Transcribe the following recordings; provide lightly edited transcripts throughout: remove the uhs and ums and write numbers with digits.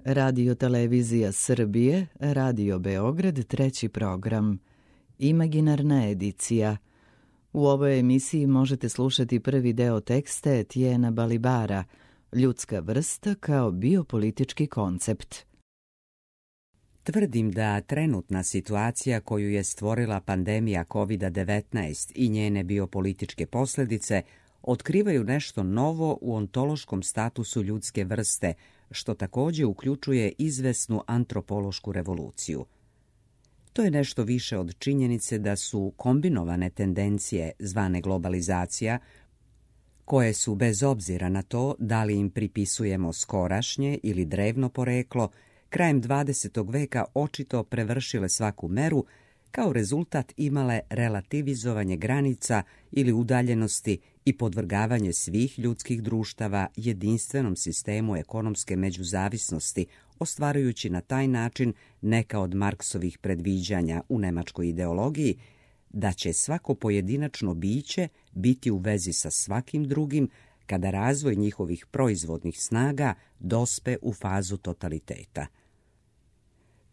Radio Televizija Srbije, Radio Beograd, treći program. Imaginarna edicija. U ovoj emisiji možete slušati prvi deo teksta Etiena Balibara, Ljudska vrsta kao biopolitički koncept. Tvrdim da trenutna situacija koju je stvorila pandemija COVID-19 i njene biopolitičke posljedice otkrivaju nešto novo u ontološkom statusu ljudske vrste, što također uključuje izvesnu antropološku revoluciju. To je nešto više od činjenice da su kombinovane tendencije zvane globalizacija, koje su bez obzira na to da li im pripisujemo skorašnje ili drevno poreklo, krajem 20. veka očito prevršile svaku meru, kao rezultat imale relativizovanje granica ili udaljenosti i podvrgavanje svih ljudskih društava jedinstvenom sistemu ekonomske međuzavisnosti, ostvarujući na taj način neka od Marksovih predviđanja u nemačkoj ideologiji, da će svako pojedinačno biće biti u vezi sa svakim drugim kada razvoj njihovih proizvodnih snaga dospe u fazu totaliteta.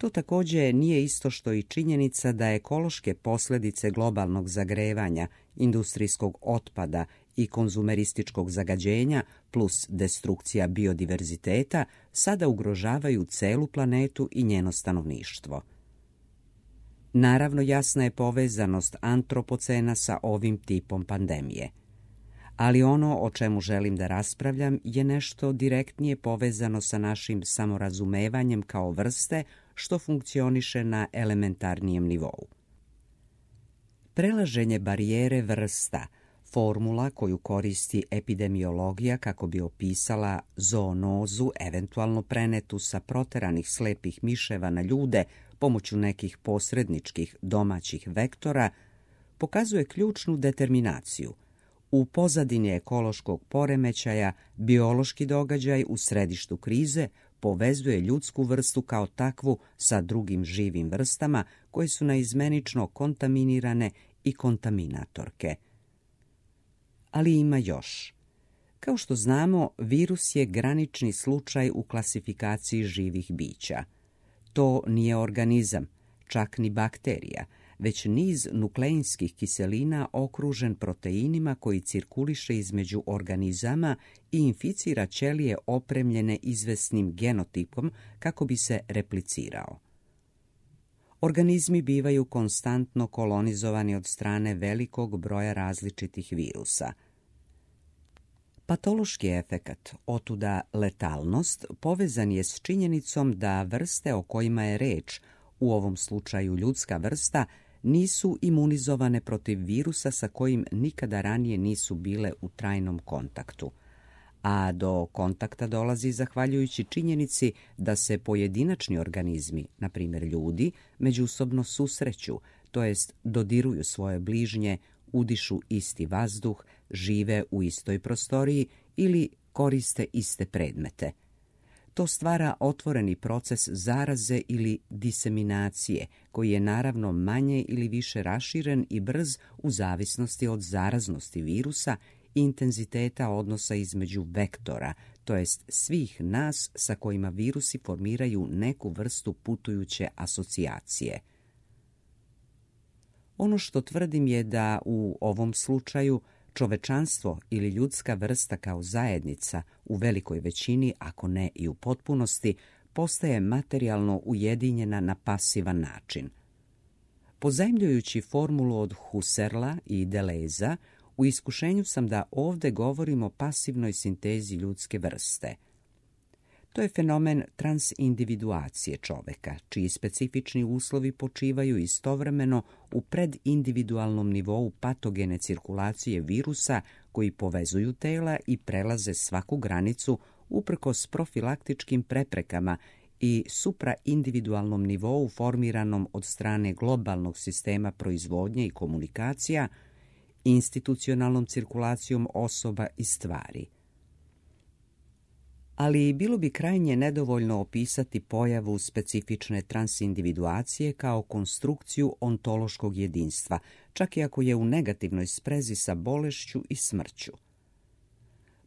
To također nije isto što i činjenica da ekološke posljedice globalnog zagrevanja, industrijskog otpada i konzumerističkog zagađenja plus destrukcija biodiverziteta sada ugrožavaju celu planetu i njeno stanovništvo. Naravno, jasna je povezanost antropocena sa ovim tipom pandemije. Ali ono o čemu želim da raspravljam je nešto direktnije povezano sa našim samorazumevanjem kao vrste što funkcioniše na elementarnijem nivou. Prelaženje barijere vrsta, formula koju koristi epidemiologija kako bi opisala zoonozu eventualno prenetu sa proteranih slepih miševa na ljude pomoću nekih posredničkih domaćih vektora, pokazuje ključnu determinaciju. U pozadini ekološkog poremećaja, biološki događaj u središtu krize povezuje ljudsku vrstu kao takvu sa drugim živim vrstama koje su naizmenično kontaminirane i kontaminatorke. Ali ima još. Kao što znamo, virus je granični slučaj u klasifikaciji živih bića. To nije organizam, čak ni bakterija, već niz nukleinskih kiselina okružen proteinima koji cirkuliše između organizama i inficira ćelije opremljene izvesnim genotipom kako bi se replicirao. Organizmi bivaju konstantno kolonizovani od strane velikog broja različitih virusa. Patološki efekat, otuda letalnost, povezan je s činjenicom da vrste o kojima je reč, u ovom slučaju ljudska vrsta, nisu imunizovane protiv virusa sa kojim nikada ranije nisu bile u trajnom kontaktu. A do kontakta dolazi zahvaljujući činjenici da se pojedinačni organizmi, na primjer ljudi, međusobno susreću, to jest dodiruju svoje bližnje, udišu isti vazduh, žive u istoj prostoriji ili koriste iste predmete. To stvara otvoreni proces zaraze ili diseminacije, koji je naravno manje ili više raširen i brz u zavisnosti od zaraznosti virusa i intenziteta odnosa između vektora, to jest svih nas sa kojima virusi formiraju neku vrstu putujuće asocijacije. Ono što tvrdim je da u ovom slučaju čovečanstvo ili ljudska vrsta kao zajednica u velikoj većini, ako ne i u potpunosti, postaje materijalno ujedinjena na pasivan način. Pozajmljujući formulu od Husserla i Deleuza, u iskušenju sam da ovdje govorimo o pasivnoj sintezi ljudske vrste. To je fenomen transindividuacije čoveka, čiji specifični uslovi počivaju istovremeno u predindividualnom nivou patogene cirkulacije virusa koji povezuju tela i prelaze svaku granicu uprkos profilaktičkim preprekama i supraindividualnom nivou formiranom od strane globalnog sistema proizvodnje i komunikacija, institucionalnom cirkulacijom osoba i stvari. Ali bilo bi krajnje nedovoljno opisati pojavu specifične transindividuacije kao konstrukciju ontološkog jedinstva, čak i ako je u negativnoj sprezi sa bolešću i smrću.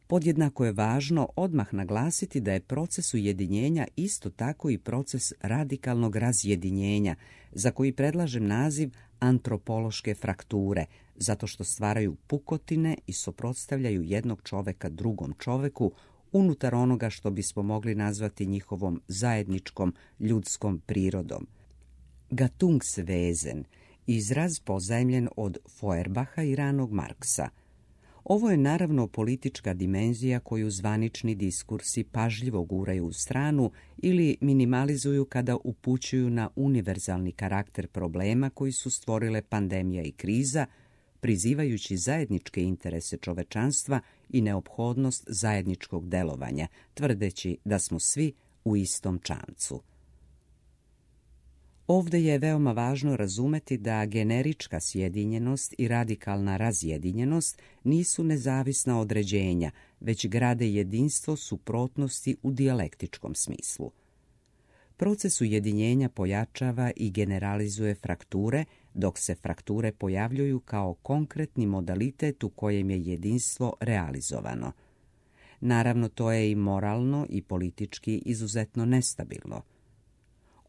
Podjednako je važno odmah naglasiti da je proces ujedinjenja isto tako i proces radikalnog razjedinjenja, za koji predlažem naziv antropološke frakture, zato što stvaraju pukotine i suprotstavljaju jednog čoveka drugom čoveku unutar onoga što bismo mogli nazvati njihovom zajedničkom ljudskom prirodom. Gattungswesen, izraz pozajmljen od Feuerbacha i ranog Marksa. Ovo je naravno politička dimenzija koju zvanični diskursi pažljivo guraju u stranu ili minimalizuju kada upućuju na univerzalni karakter problema koji su stvorile pandemija i kriza, prizivajući zajedničke interese čovečanstva i neophodnost zajedničkog delovanja, tvrdeći da smo svi u istom čamcu. Ovdje je veoma važno razumeti da generička sjedinjenost i radikalna razjedinjenost nisu nezavisna određenja, već grade jedinstvo suprotnosti u dijalektičkom smislu. Proces ujedinjenja pojačava i generalizuje frakture, dok se frakture pojavljuju kao konkretni modalitet u kojem je jedinstvo realizovano. Naravno, to je i moralno i politički izuzetno nestabilno.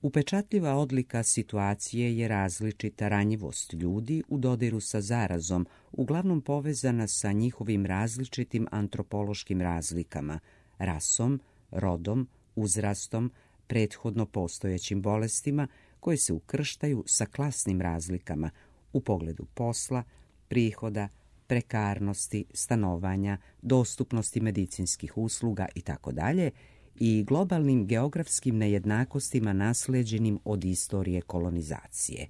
Upečatljiva odlika situacije je različita ranjivost ljudi u dodiru sa zarazom, uglavnom povezana sa njihovim različitim antropološkim razlikama, rasom, rodom, uzrastom, prethodno postojećim bolestima koje se ukrštaju sa klasnim razlikama u pogledu posla, prihoda, prekarnosti, stanovanja, dostupnosti medicinskih usluga itd., i globalnim geografskim nejednakostima naslijeđenim od istorije kolonizacije.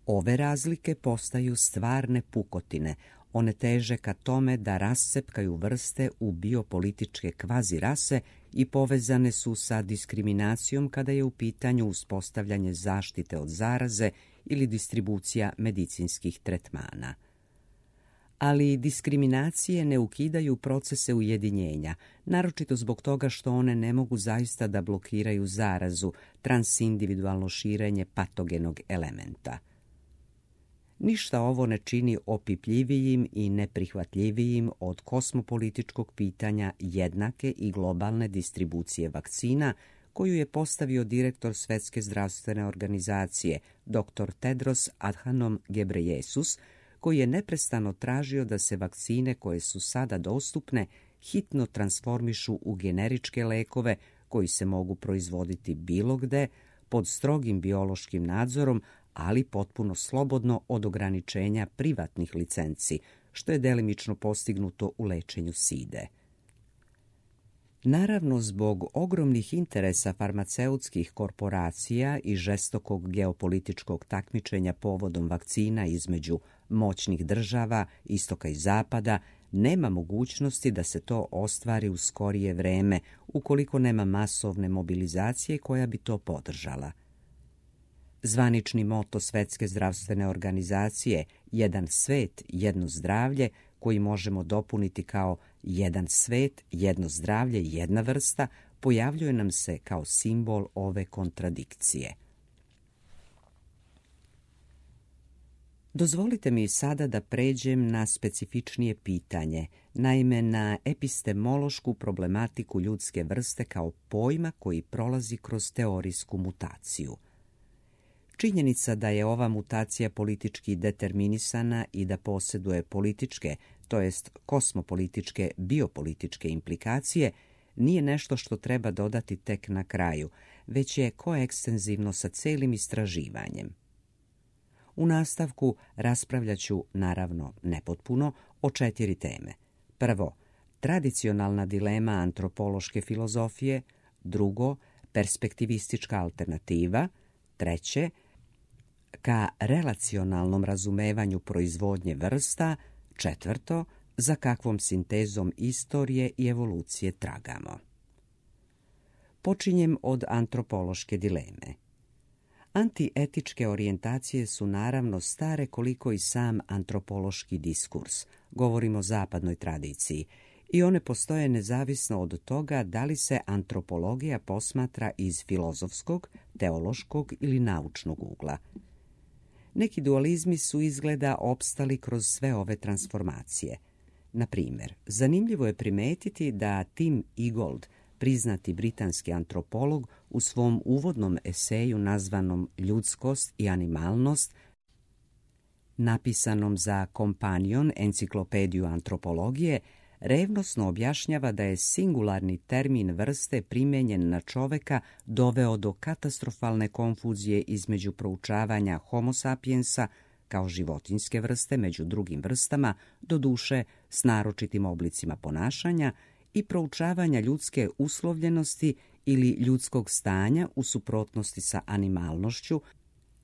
Ove razlike postaju stvarne pukotine, one teže ka tome da rascepkaju vrste u biopolitičke kvazirase i povezane su sa diskriminacijom kada je u pitanju uspostavljanje zaštite od zaraze ili distribucija medicinskih tretmana. Ali diskriminacije ne ukidaju procese ujedinjenja, naročito zbog toga što one ne mogu zaista da blokiraju zarazu, transindividualno širenje patogenog elementa. Ništa ovo ne čini opipljivijim i neprihvatljivijim od kosmopolitičkog pitanja jednake i globalne distribucije vakcina koju je postavio direktor Svetske zdravstvene organizacije, dr. Tedros Adhanom Ghebreyesus, koji je neprestano tražio da se vakcine koje su sada dostupne hitno transformišu u generičke lekove koji se mogu proizvoditi bilo gde, pod strogim biološkim nadzorom, ali potpuno slobodno od ograničenja privatnih licenci, što je delimično postignuto u lečenju side. Naravno, zbog ogromnih interesa farmaceutskih korporacija i žestokog geopolitičkog takmičenja povodom vakcina između moćnih država, istoka i zapada, nema mogućnosti da se to ostvari u skorije vreme, ukoliko nema masovne mobilizacije koja bi to podržala. Zvanični moto Svetske zdravstvene organizacije "Jedan svet, jedno zdravlje", koji možemo dopuniti kao "Jedan svet, jedno zdravlje, jedna vrsta", pojavljuje nam se kao simbol ove kontradikcije. Dozvolite mi sada da pređem na specifičnije pitanje, naime na epistemološku problematiku ljudske vrste kao pojma koji prolazi kroz teorijsku mutaciju. Činjenica da je ova mutacija politički determinisana i da posjeduje političke, to jest kosmopolitičke, biopolitičke implikacije, nije nešto što treba dodati tek na kraju, već je koekstenzivno sa celim istraživanjem. U nastavku raspravljat ću, naravno nepotpuno, o 4 teme. Prvo, tradicionalna dilema antropološke filozofije, drugo, perspektivistička alternativa, treće, ka relacionalnom razumevanju proizvodnje vrsta, četvrto, za kakvom sintezom istorije i evolucije tragamo. Počinjem od antropološke dileme. Antietičke orijentacije su naravno stare koliko i sam antropološki diskurs, govorimo o zapadnoj tradiciji, i one postoje nezavisno od toga da li se antropologija posmatra iz filozofskog, teološkog ili naučnog ugla. Neki dualizmi su izgleda opstali kroz sve ove transformacije. Na primjer, zanimljivo je primetiti da Tim Ingold, priznati britanski antropolog, u svom uvodnom eseju nazvanom Ljudskost i animalnost, napisanom za Companion, enciklopediju antropologije, revnosno objašnjava da je singularni termin vrste primijenjen na čoveka doveo do katastrofalne konfuzije između proučavanja Homo sapiensa kao životinjske vrste među drugim vrstama, doduše s naročitim oblicima ponašanja, i proučavanja ljudske uslovljenosti ili ljudskog stanja u suprotnosti sa animalnošću,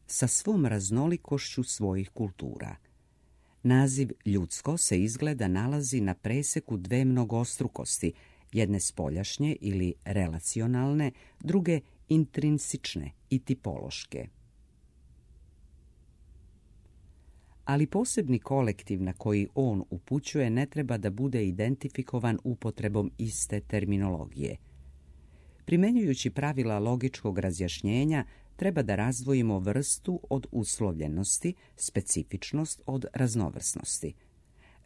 sa svom raznolikošću svojih kultura. Naziv ljudsko se izgleda nalazi na preseku dve mnogostrukosti, jedne spoljašnje ili relacionalne, druge intrinsične i tipološke. Ali posebni kolektiv na koji on upućuje ne treba da bude identifikovan upotrebom iste terminologije. Primenjujući pravila logičkog razjašnjenja, treba da razdvojimo vrstu od uslovljenosti, specifičnost od raznovrsnosti.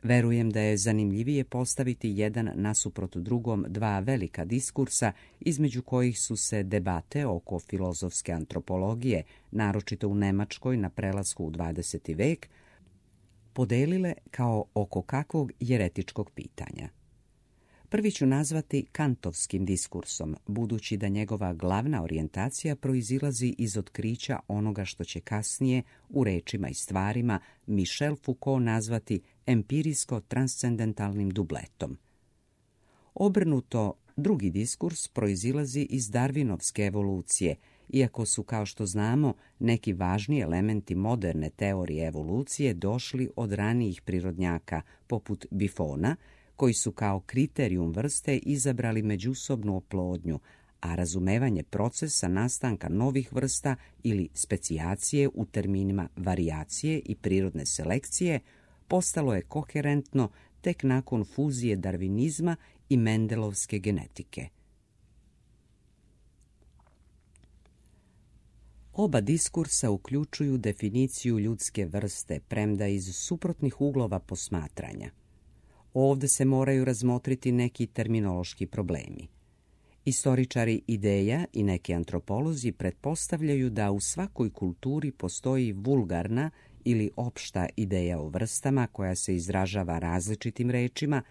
Verujem da je zanimljivije postaviti jedan nasuprot drugom dva velika diskursa, između kojih su se debate oko filozofske antropologije, naročito u Nemačkoj na prelasku u 20. vek, podelile kao oko kakvog jeretičkog pitanja. Prvi ću nazvati kantovskim diskursom, budući da njegova glavna orijentacija proizilazi iz otkrića onoga što će kasnije u Rečima i stvarima Michel Foucault nazvati empirijsko-transcendentalnim dubletom. Obrnuto, drugi diskurs proizilazi iz darvinovske evolucije, iako su, kao što znamo, neki važni elementi moderne teorije evolucije došli od ranijih prirodnjaka, poput Buffona, koji su kao kriterijum vrste izabrali međusobnu oplodnju, a razumevanje procesa nastanka novih vrsta ili specijacije u terminima varijacije i prirodne selekcije postalo je koherentno tek nakon fuzije darvinizma i mendelovske genetike. Oba diskursa uključuju definiciju ljudske vrste, premda iz suprotnih uglova posmatranja. Ovdje se moraju razmotriti neki terminološki problemi. Istoričari ideja i neki antropolozi pretpostavljaju da u svakoj kulturi postoji vulgarna ili opšta ideja o vrstama koja se izražava različitim rečima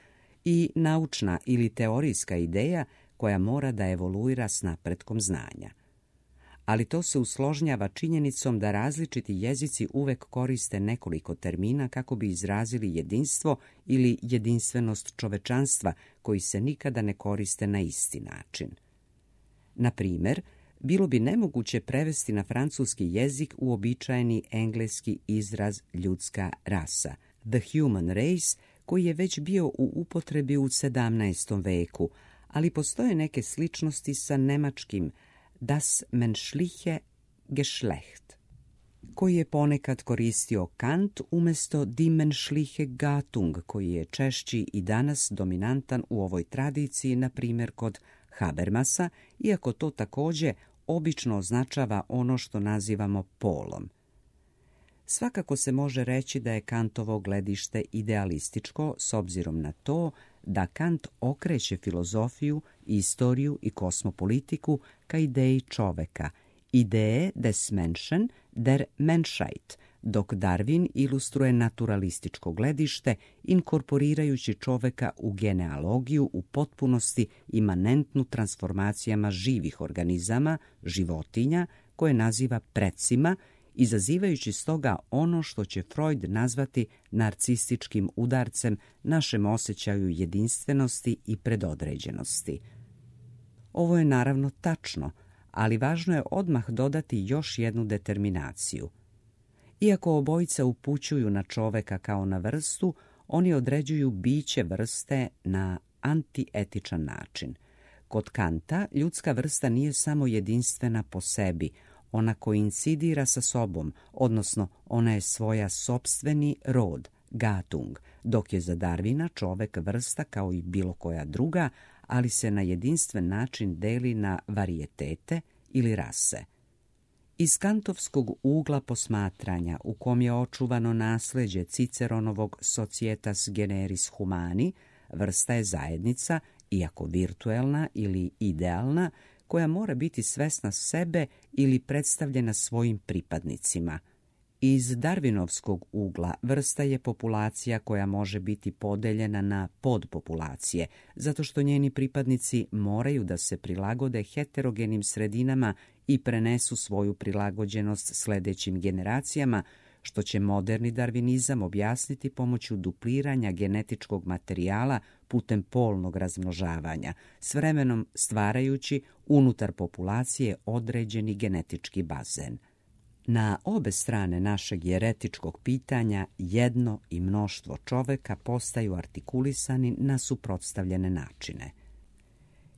i naučna ili teorijska ideja koja mora da evoluira s napretkom znanja. Ali to se usložnjava činjenicom da različiti jezici uvek koriste nekoliko termina kako bi izrazili jedinstvo ili jedinstvenost čovečanstva koji se nikada ne koriste na isti način. Na primjer, bilo bi nemoguće prevesti na francuski jezik uobičajeni engleski izraz ljudska rasa, the human race, koji je već bio u upotrebi u 17. veku, ali postoje neke sličnosti sa nemačkim das menschliche Geschlecht, koji je ponekad koristio Kant umjesto die menschliche Gattung, koji je češći i danas dominantan u ovoj tradiciji, na primjer kod Habermasa, iako to također obično označava ono što nazivamo polom. Svakako se može reći da je Kantovo gledište idealističko s obzirom na to da Kant okreće filozofiju, istoriju i kosmopolitiku ka ideji čoveka, ideje des Menschen, der Menschheit, dok Darwin ilustruje naturalističko gledište inkorporirajući čoveka u genealogiju u potpunosti imanentnu transformacijama živih organizama, životinja, koje naziva precima, izazivajući stoga ono što će Freud nazvati narcističkim udarcem našem osjećaju jedinstvenosti i predodređenosti. Ovo je naravno tačno, ali važno je odmah dodati još jednu determinaciju. Iako obojica upućuju na čoveka kao na vrstu, oni određuju biće vrste na antietičan način. Kod Kanta ljudska vrsta nije samo jedinstvena po sebi, ona koincidira sa sobom, odnosno ona je svoja sopstveni rod, Gattung, dok je za Darwina čovek vrsta kao i bilo koja druga, ali se na jedinstven način deli na varijetete ili rase. Iz kantovskog ugla posmatranja, u kom je očuvano nasleđe Ciceronovog Societas generis humani, vrsta je zajednica, iako virtuelna ili idealna, koja mora biti svesna sebe ili predstavljena svojim pripadnicima. Iz Darwinovskog ugla vrsta je populacija koja može biti podeljena na podpopulacije, zato što njeni pripadnici moraju da se prilagode heterogenim sredinama i prenesu svoju prilagođenost sledećim generacijama, što će moderni darvinizam objasniti pomoću dupliranja genetičkog materijala putem polnog razmnožavanja, s vremenom stvarajući unutar populacije određeni genetički bazen. Na obe strane našeg jeretičkog pitanja jedno i mnoštvo čoveka postaju artikulisani na suprotstavljene načine.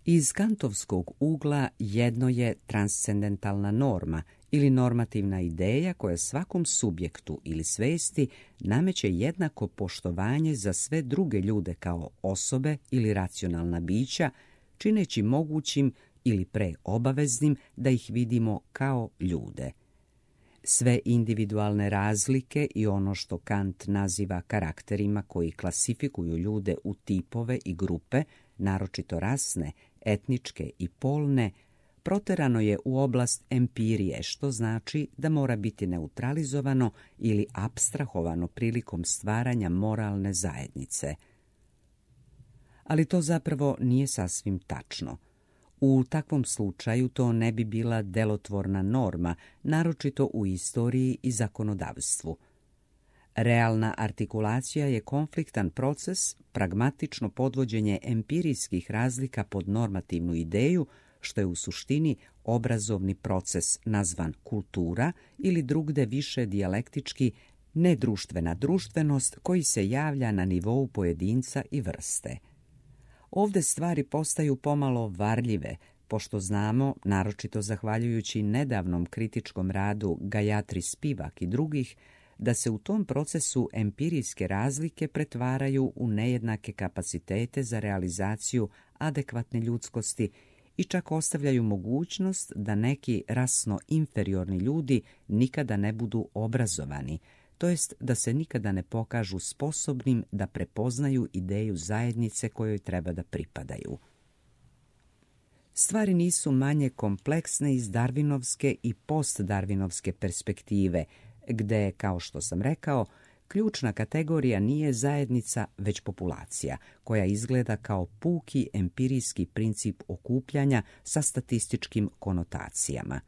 Iz kantovskog ugla jedno je transcendentalna norma ili normativna ideja koja svakom subjektu ili svesti nameće jednako poštovanje za sve druge ljude kao osobe ili racionalna bića, čineći mogućim ili pre obaveznim da ih vidimo kao ljude. Sve individualne razlike i ono što Kant naziva karakterima koji klasifikuju ljude u tipove i grupe, naročito rasne, etničke i polne, proterano je u oblast empirije, što znači da mora biti neutralizovano ili apstrahovano prilikom stvaranja moralne zajednice. Ali to zapravo nije sasvim tačno. U takvom slučaju to ne bi bila delotvorna norma, naročito u istoriji i zakonodavstvu. Realna artikulacija je konfliktan proces, pragmatično podvođenje empirijskih razlika pod normativnu ideju, što je u suštini obrazovni proces nazvan kultura ili drugde više dijalektički nedruštvena društvenost koji se javlja na nivou pojedinca i vrste. Ovde stvari postaju pomalo varljive, pošto znamo, naročito zahvaljujući nedavnom kritičkom radu Gayatri Spivak i drugih, da se u tom procesu empirijske razlike pretvaraju u nejednake kapacitete za realizaciju adekvatne ljudskosti i čak ostavljaju mogućnost da neki rasno inferiorni ljudi nikada ne budu obrazovani, to jest da se nikada ne pokažu sposobnim da prepoznaju ideju zajednice kojoj treba da pripadaju. Stvari nisu manje kompleksne iz darvinovske i postdarvinovske perspektive, gde, kao što sam rekao, ključna kategorija nije zajednica, već populacija, koja izgleda kao puki empirijski princip okupljanja sa statističkim konotacijama.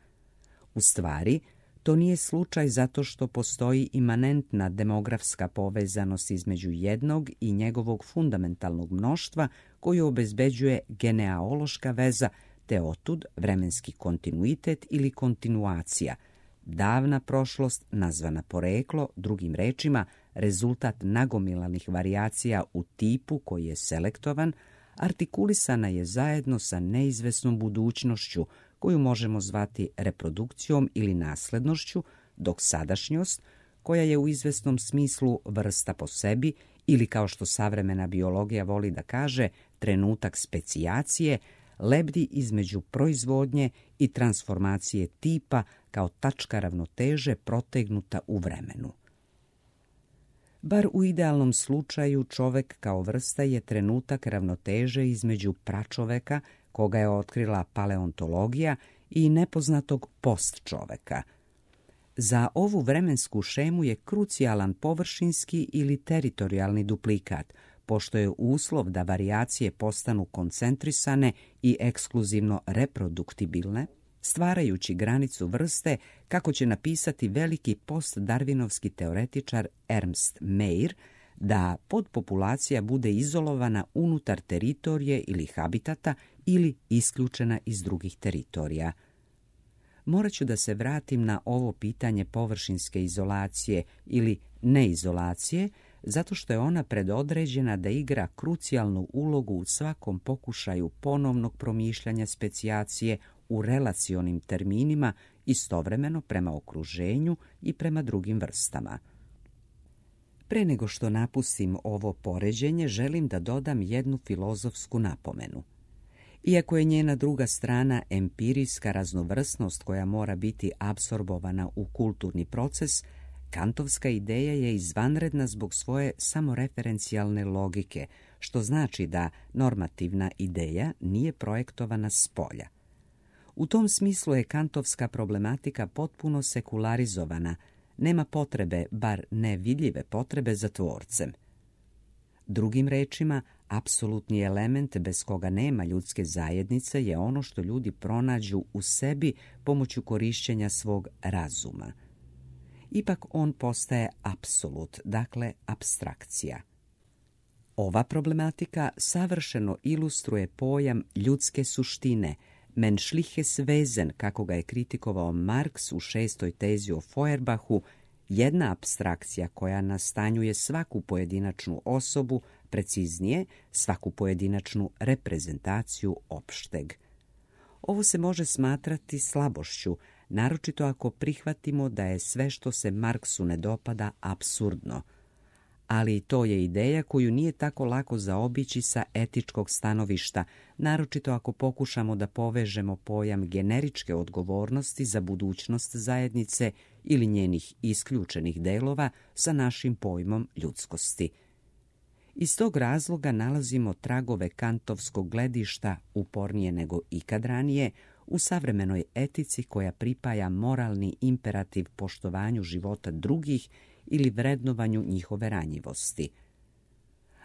U stvari, to nije slučaj zato što postoji imanentna demografska povezanost između jednog i njegovog fundamentalnog mnoštva koju obezbeđuje genealoška veza, te otud vremenski kontinuitet ili kontinuacija, davna prošlost nazvana poreklo, drugim rečima, rezultat nagomilanih varijacija u tipu koji je selektovan, artikulisana je zajedno sa neizvesnom budućnošću koju možemo zvati reprodukcijom ili naslednošću, dok sadašnjost, koja je u izvesnom smislu vrsta po sebi ili, kao što savremena biologija voli da kaže, trenutak specijacije, lebdi između proizvodnje i transformacije tipa kao tačka ravnoteže protegnuta u vremenu. Bar u idealnom slučaju čovek kao vrsta je trenutak ravnoteže između pračoveka, koga je otkrila paleontologija, i nepoznatog postčoveka. Za ovu vremensku šemu je krucijalan površinski ili teritorijalni duplikat, pošto je uslov da varijacije postanu koncentrisane i ekskluzivno reproduktibilne, stvarajući granicu vrste, kako će napisati veliki postdarvinovski teoretičar Ernst Mayr, da podpopulacija bude izolovana unutar teritorije ili habitata ili isključena iz drugih teritorija. Morat ću da se vratim na ovo pitanje površinske izolacije ili neizolacije, zato što je ona predodređena da igra krucijalnu ulogu u svakom pokušaju ponovnog promišljanja specijacije u relacionim terminima, istovremeno prema okruženju i prema drugim vrstama. Pre nego što napustim ovo poređenje, želim da dodam jednu filozofsku napomenu. Iako je njena druga strana empirijska raznovrsnost koja mora biti apsorbovana u kulturni proces, kantovska ideja je izvanredna zbog svoje samoreferencijalne logike, što znači da normativna ideja nije projektovana spolja. U tom smislu je kantovska problematika potpuno sekularizovana, nema potrebe, bar ne vidljive potrebe za tvorcem. Drugim rečima, apsolutni element bez koga nema ljudske zajednice je ono što ljudi pronađu u sebi pomoću korišćenja svog razuma. Ipak on postaje apsolut, dakle apstrakcija. Ova problematika savršeno ilustruje pojam ljudske suštine, menschliches Wesen, kako ga je kritikovao Marx u 6. tezi o Feuerbachu, jedna apstrakcija koja nastanjuje svaku pojedinačnu osobu, preciznije, svaku pojedinačnu reprezentaciju opšteg. Ovo se može smatrati slabošću, naročito ako prihvatimo da je sve što se Marksu ne dopada apsurdno. Ali to je ideja koju nije tako lako zaobići sa etičkog stanovišta, naročito ako pokušamo da povežemo pojam generičke odgovornosti za budućnost zajednice ili njenih isključenih delova sa našim pojmom ljudskosti. Iz tog razloga nalazimo tragove kantovskog gledišta, upornije nego ikad ranije, u savremenoj etici koja pripaja moralni imperativ poštovanju života drugih ili vrednovanju njihove ranjivosti.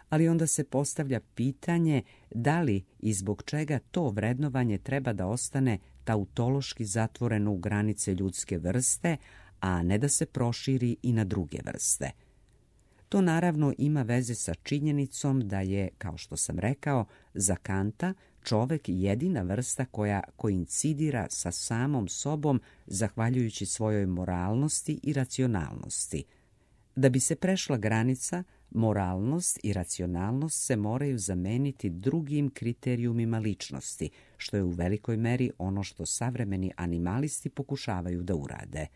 Ali onda se postavlja pitanje da li i zbog čega to vrednovanje treba da ostane tautološki zatvoreno u granice ljudske vrste, a ne da se proširi i na druge vrste. To naravno ima veze sa činjenicom da je, kao što sam rekao, za Kanta čovek jedina vrsta koja koincidira sa samom sobom zahvaljujući svojoj moralnosti i racionalnosti. Da bi se prešla granica, moralnost i racionalnost se moraju zameniti drugim kriterijumima ličnosti, što je u velikoj meri ono što savremeni animalisti pokušavaju da urade.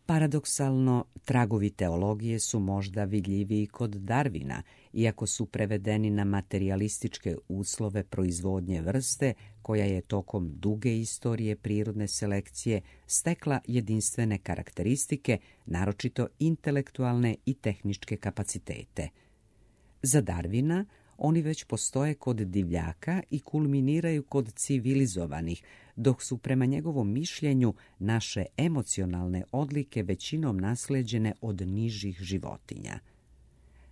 Paradoksalno, tragovi teologije su možda vidljiviji kod Darwina, iako su prevedeni na materijalističke uslove proizvodnje vrste, koja je tokom duge istorije prirodne selekcije stekla jedinstvene karakteristike, naročito intelektualne i tehničke kapacitete. Za Darwina oni već postoje kod divljaka i kulminiraju kod civilizovanih, dok su prema njegovom mišljenju naše emocionalne odlike većinom nasleđene od nižih životinja.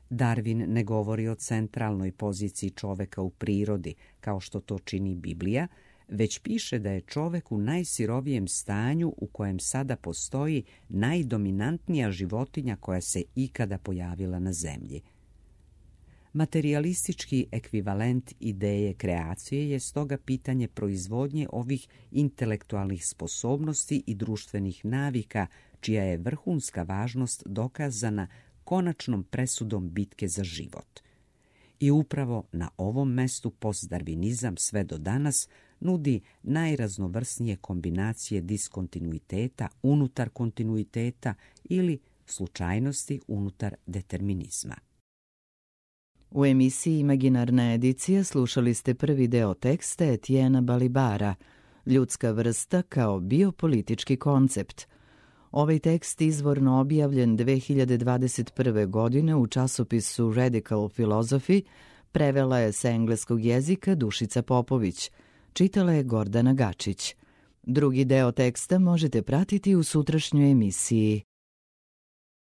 Darwin ne govori o centralnoj poziciji čoveka u prirodi, kao što to čini Biblija, već piše da je čovek u najsirovijem stanju u kojem sada postoji najdominantnija životinja koja se ikada pojavila na zemlji. Materijalistički ekvivalent ideje kreacije je stoga pitanje proizvodnje ovih intelektualnih sposobnosti i društvenih navika, čija je vrhunska važnost dokazana konačnom presudom bitke za život. I upravo na ovom mestu postdarvinizam sve do danas nudi najraznovrsnije kombinacije diskontinuiteta unutar kontinuiteta ili slučajnosti unutar determinizma. U emisiji Imaginarna edicija slušali ste prvi deo teksta Etiena Balibara, Ljudska vrsta kao biopolitički koncept. Ovaj tekst izvorno objavljen 2021. godine u časopisu Radical Philosophy prevela je sa engleskog jezika Dušica Popović, čitala je Gordana Gačić. Drugi deo teksta možete pratiti u sutrašnjoj emisiji.